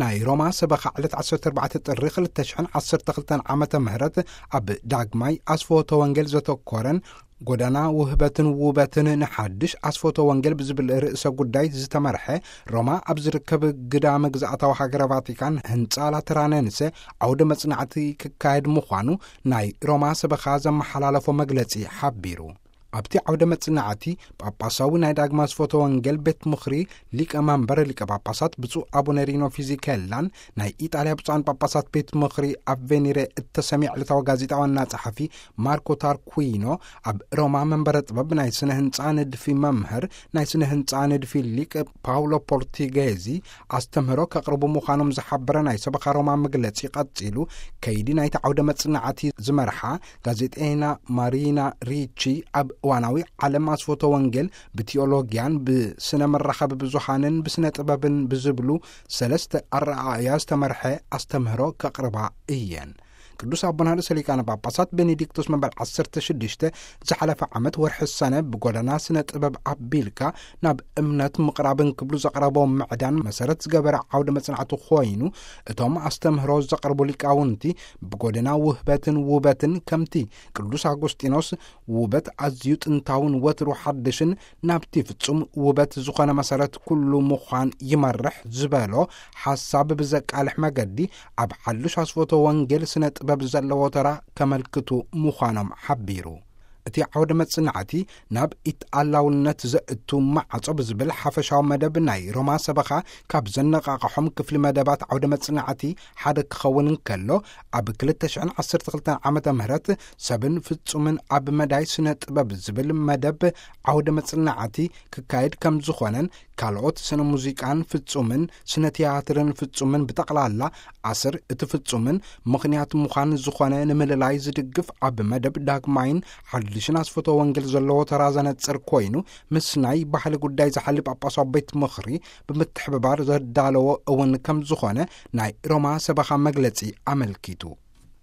ናይ ሮማ ሰበኻ ዕለት ዓሰርተ ኣርባዕተ ጥሪ ክልተ ሽሕን ዓሰርተ ክልተን ዓመተ ምህረት ኣብ ዳግማይ ኣስፎተ ወንጌል ዘተኮረን ጎዳና ውህበትን ውበትን ንሓድሽ ኣስፎተ ወንጌል ብዝብል ርእሰ ጉዳይ ዝተመርሐ ሮማ ኣብ ዝርከብ ግዳመ ግዝኣታዊ ሃገረ ቫቲካን ህንፃ ላተራነንሰ ዓውደ መጽናዕቲ ክካየድ ምዃኑ ናይ ሮማ ሰበኻ ዘመሓላለፎ መግለጺ ሓቢሩ። ኣብቲ ዓውደ መጽናዕቲ ጳጳሳዊ ናይ ዳግማ ኣስፎተ ወንጌል ቤት ምኽሪ ሊቀ መንበር ሊቀ ጳጳሳት ብፁዕ ኣቡነ ሪኖ ፊዚኬላን ናይ ኢጣልያ ብፁዓን ጳጳሳት ቤት ምኽሪ ኣቬኒሬ እተሰምየ ዕለታዊ ጋዜጣ ዋና ጸሓፊ ማርኮ ታርኩዊኖ፣ ኣብ ሮማ መንበረ ጥበብ ናይ ስነ ህንጻ ንድፊ መምህር ናይ ስነ ህንጻ ንድፊ ሊቅ ፓውሎ ፖርቲጌዚ ኣስተምህሮ ከቕርቡ ምዃኖም ዝሓበረ ናይ ሰበኻ ሮማ መግለጺ ቀጺሉ፣ ከይዲ ናይቲ ዓውደ መጽናዕቲ ዝመርሓ ጋዜጠይና ማሪና ሪቺ ኣብ እዋናዊ ዓለም ኣስፎተ ወንጌል ብቲኦሎጊያን ብስነ መራኸቢ ብዙሃንን ብስነ ጥበብን ብዝብሉ ሰለስተ ኣረኣእያ ዝተመርሐ ኣስተምህሮ ከቕርባ እየን። ቅዱስ ኣቦና ርእሰ ሊቃነ ጳጳሳት ቤኔዲክቶስ መበል ዓሰርተ ሽዱሽተ ዝሓለፈ ዓመት ወርሒ ሰነ ብጎደና ስነ ጥበብ ኣቢልካ ናብ እምነት ምቕራብን ክብሉ ዘቕረቦ ምዕዳን መሰረት ዝገበረ ዓውደ መጽናዕቲ ኮይኑ፣ እቶም ኣስተምህሮ ዘቕርቡ ሊቃውንቲ ብጎደና ውህበትን ውበትን ከምቲ ቅዱስ ኣጎስጢኖስ ውበት ኣዝዩ ጥንታውን ወትሩ ሓድሽን ናብቲ ፍጹም ውበት ዝኾነ መሰረት ኩሉ ምዃን ይመርሕ ዝበሎ ሓሳብ ብዘቃልሕ መገዲ ኣብ ሓድሽ ኣስፎተ ወንጌል ስነ ጥበብ ዘለዎ ተራ ከመልክቱ ምዃኖም ሓቢሩ። እቲ ዓውደ መጽናዕቲ ናብ ኢትኣላውነት ዘእቱ ማዕጾ ብዝብል ሓፈሻዊ መደብ ናይ ሮማ ሰበኻ ካብ ዘነቓቕሖም ክፍሊ መደባት ዓውደ መጽናዕቲ ሓደ ክኸውን እንከሎ፣ ኣብ ክልተ ሽሕን ዓሰርተ ክልተን ዓመተ ምህረት ሰብን ፍጹምን ኣብ መዳይ ስነ ጥበብ ዝብል መደብ ዓውደ መጽናዕቲ ክካየድ ከም ዝኾነን ካልኦት ስነ ሙዚቃን ፍጹምን ስነ ትያትርን ፍጹምን ብጠቕላላ ኣስር እቲ ፍጹምን ምኽንያት ምዃን ዝኾነ ንምልላይ ዝድግፍ ኣብ መደብ ዳግማይን ሓድሽን ኣስፈቶ ወንጌል ዘለዎ ተራ ዘነጽር ኮይኑ፣ ምስ ናይ ባህሊ ጉዳይ ዝሓሊ ጳጳሳዊ ቤት ምኽሪ ብምትሕብባር ዘዳለዎ እውን ከም ዝኾነ ናይ ሮማ ሰበኻ መግለጺ ኣመልኪቱ።